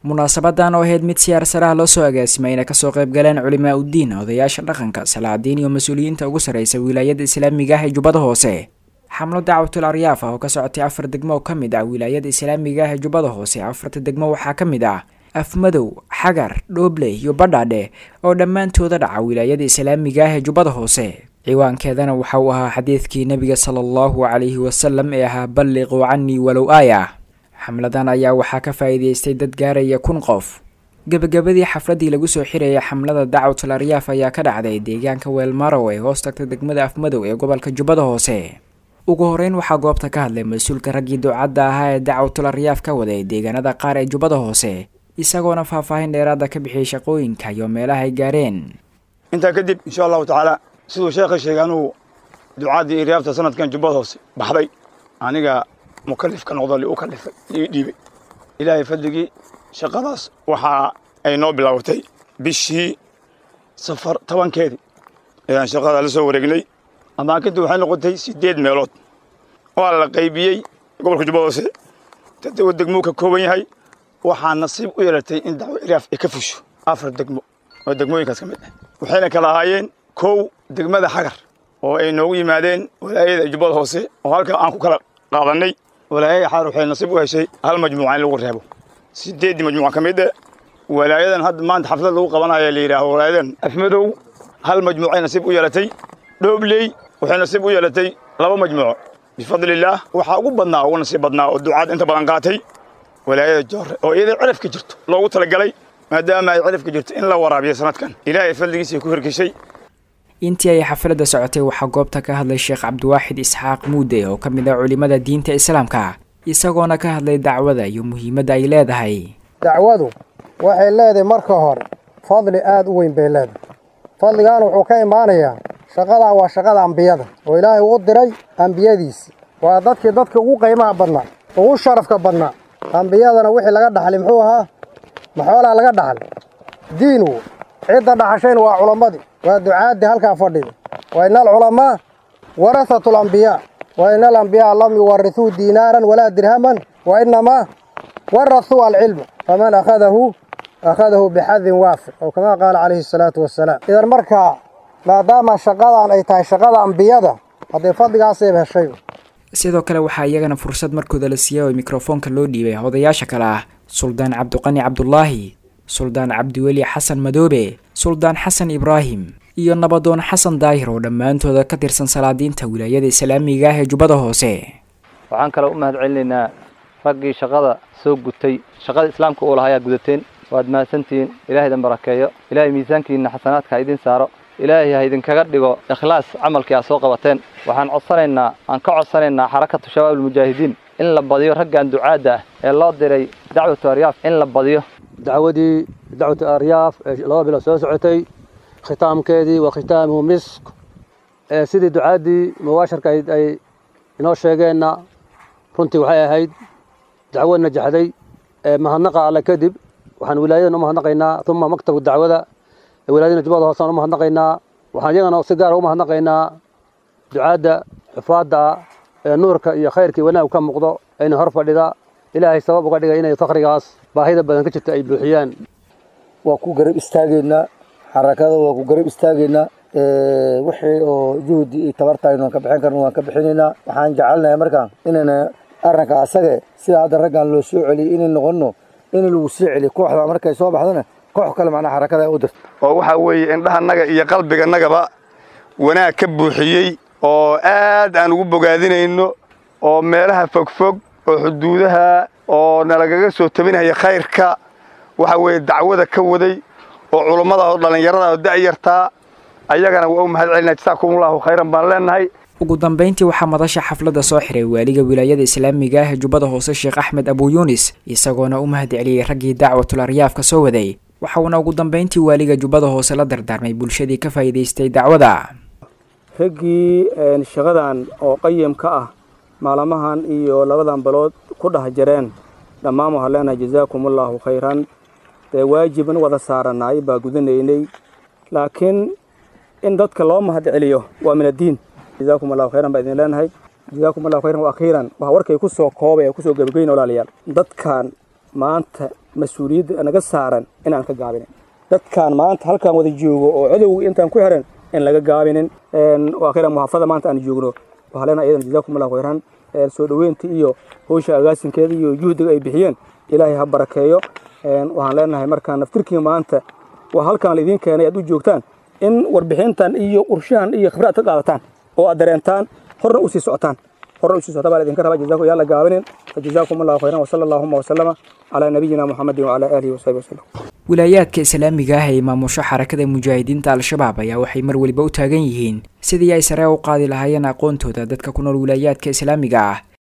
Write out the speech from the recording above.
Munaasabadan oo ahayd mid siyaar saraha loo soo agaasimay ayna kasoo qayb galeen culimaa uddiin, odayaasha dhaqanka, salaadiin iyo mas-uuliyiinta ugu sarreysa wilaayada islaamiga ah ee Jubbada Hoose, xamlo dacwatul aryaaf ah oo ka socotay 4 degmo oo ka mid ah wilaayada islaamiga ah ee Jubbada Hoose. Afarta degmo waxaa ka mid ah Afmadow, Xagar, Dhooble iyo Badhaadhe oo dhammaantooda dhaca wilaayada islaamiga ah ee Jubbada Hoose. Ciwaankeedana waxa uu ahaa xadiidkii nabiga sala allahu calayhi wasalam ee ahaa balliquu canii walow aaya. Xamladan ayaa waxaa ka faa'iidaystay dad gaaraya 1000 qof. Gebagabadii xafladii lagu soo xirayay xamlada dacwatul aryaaf ayaa ka dhacday deegaanka Weelmarow ee hoos tagta degmada Afmadow ee gobolka Jubbada Hoose. Ugu horeyn waxaa goobta ka hadlay mas-uulka raggii ducadda ahaa ee dacwatul aryaaf ka waday deegaanada qaar ee Jubbada Hoose, isagoona faahfaahin dheeraada ka bixiyay shaqooyinka iyo meelaha ay gaareen. Intaa kadib, insha Allahu tacaala, siduu sheekha sheegay, anugu ducaaddii iryaafta sanadkan Jubbada Hoose baxday aniga mukalif ka noqdo, li u kalifay, ii dhiibay Ilaahay fadligii. Shaqadaas waxa ay noo bilaabatay bishii Safar 10-keedii ayaan shaqada la soo wareegnay. Amaakintu waxay noqotay 8 meelood, waa la qaybiyey. Gobolka Jubbada Hoose 7 degmuu ka kooban yahay. Waxaa nasiib u yeelatay in dacwo iryaaf ay ka fusho 4 degmo oo degmooyinkaas ka mid ah, waxayna kala ahaayeen: 1, degmada Xagar oo ay noogu yimaadeen walaayada Jubbada Hoose oo halka aan ku kala qaadanay. Walaayada Xagar waxay nasiib u heshay hal majmuuca in lagu reebo 8-dii majmuuca ka mid ah. Walaayadan hadda maanta xaflad lagu qabanayo la yidhaaho walaayadan Afmadow hal majmuucay nasiib u yeelatay. Dhoobley waxay nasiib u yeelatay 2 majmuuco. Bifadlillaah, waxaa ugu badnaa, ugu nasiib badnaa oo ducaad inta badan qaatay walaayada Joore oo iyada cirafka jirto loogu talagalay, maadaama ay cirafka jirto in la waraabiyo sanadkan Ilaahay fadligiisa ku hirgeshay. Intii ay xafladda socotay waxaa goobta ka hadlay Sheekh Cabdiwaaxid Isxaaq Muude oo ka mid ah culimada diinta islaamka, isagoona ka hadlay dacwada iyo muhiimadda ay leedahay. Dacwadu waxay leedahay marka hore fadli aada u weyn bay leedahay. Fadligaana wuxuu ka imaanayaa shaqadan waa shaqada ambiyada oo Ilaahay uu diray ambiyadiisi. Waa dadkii dadka ugu qiimaha badnaa, ugu sharafka badnaa. Ambiyadana wixii laga dhaxlay muxuu ahaa? Maxoolaa laga dhaxlay? Diin wo. Cidda dhaxashayna waa culammadii, waa ducaaddii halkaa fadhida. Wa ina alculamaa warahatu alambiyaa, wa ina alambiyaa lam yuwarithuu diinaaran walaa dirhaman, wa inamaa warahuu alcilma, faman akhadahu akhadahu bixadin waafiq, oo kamaa qaala calayhi asalaatu wassalaam. Idan markaa maadaama shaqadan ay tahay shaqada ambiyada, haddee fadligaasayba heshay. Sidoo kale waxaa iyagana fursad markooda la siiyey oo mikrofoonka loo dhiibay odayaasha kale ah Suldaan Cabdiqani Cabdulaahi, Suldaan Cabdiweli Xasan Madoobe, Suldaan Xasan Ibraahim iyo Nabadoon Xasan Daahir oo dhammaantooda ka tirsan salaadiinta wilaayada islaamiga ah ee Jubbada Hoose. Waxaan kaloo u mahad celinaynaa raggii shaqada soo gutay. Shaqada islaamka uu lahaa ayaa gudateen, waad mahadsantihiin. Ilahay idin barakeeyo, Ilaahay miisaankiinna xasanaadka ha idin saaro, Ilaahay ha idinkaga dhigo ikhlaas camalkii aad soo qabateen. Waxaan codsanaynaa, aan ka codsanaynaa Xarakatu Shabaab Almujaahidiin in la badiyo raggan ducaadda ah ee loo diray dacwatu aryaaf, in la badiyo. Dacwadii dacwatu aryaaf ee 2 bilood soo socotay khitaamkeedii waa khitaamuhu misk. Sidii ducaaddii mubaasharka ay inoo sheegeenna, runtii waxay ahayd dacwo najaxday. Mahadnaqa Alle kadib, waxaan wilaayadan u mahadnaqaynaa, uma maktabka dacwada ee wilaayadana Jubbada Hoose aan u mahadnaqaynaa. Waxaan iyagana si gaara u mahadnaqaynaa ducaadda xufaadda ee nuurka iyo khayrkii wanaag ka muuqdo ayna hor fadhida. Ilaahay sabab uga dhigay inay fakrigaas baahida badan ka jirta ay buuxiyaan. Waa ku garab istaagaynaa xarakada, waa ku garab istaagaynaa. Wixii oo juhdi iyo tabarta aynu ka bixin karno waan ka bixinaynaa. Waxaan jecelnahay markaan inayna arrinka asage sida hadda raggan loo soo celiyey inay noqono in lagu sii celiyo kooxda, markay soo baxdana koox kale macnaha xarakada ay u dirto. Oo waxaa weeye indhahanaga iyo qalbiganagaba wanaag ka buuxiyey oo aad aan ugu bogaadinayno, oo meelaha fogfog oo xuduudaha oo nalagaga soo tabinaya khayrka waxa weeye dacwada ka waday oo culummada oo dhallinyarada oo da'yartaa, ayagana waa u mahad celinaa. Jasaakumullahu khayran baan leenahay. Ugu dambeyntii waxaa madasha xafladda soo xiray waaliga wilaayada islaamiga ah ee Jubbada Hoose, Sheekh Axmed Abu Yunis, isagoona u mahad celiyey raggii dacwatul aryaafka soo waday. Waxa uuna ugu dambeyntii waaliga Jubbada Hoose la dardaarmay bulshadii ka faa'iidaystay dacwada. Raggii shaqadan oo qayim ka ah maalmahan iyo labadan bilood ku dhex jireen dhammaan waxaan leenahay jasaakumullahu khayran. Dee waajibin wada saaranaay baa gudanaynay, laakiin in dadka loo mahad celiyo waa min addiin. Jasaakum allahu khayran baa idin leenahay, jasaakum allahu khayran. Wa akhiiran, waxaa warkay ku soo koobay ee kusoo gebagayn, walaalayaal, dadkan Maanta mas-uuliyadda naga saaran inaan ka gaabinin dadkaan maanta halkaan wada joogo oo cadowga intaan ku xiran in laga gaabinin. Akhiran muxaafada maanta aan joogno waxaa leenahay iyadan jazaakum allahu khayran, soo dhoweynta iyo howsha agaasinkeeda iyo juhdiga ay bixiyeen Ilaahay ha barakeeyo. Waxaan leenahay markaan naftirkii maanta waa halkaan la idiin keenay aad u joogtaan in warbixintan iyo qorshahan iyo khibrad ka qaadataan oo aad dareentaan, horna u sii socotaan, horna u sii socotaan baa la idinka rabaa. Jazaakum yaa la gaabinin. Fajazaakum allahu khayran, wasala allahuma wasalama calaa nabiyina Muxamedin wacalaa aalihi wasaxbihi wasalam. Wilaayaadka islaamiga ah ee maamusho Xarakada Mujaahidiinta Al-Shabaab ayaa waxay mar weliba u taagan yihiin sidii ay sare u qaadi lahaayeen aqoontooda dadka ku nool wilaayaadka islaamiga ah.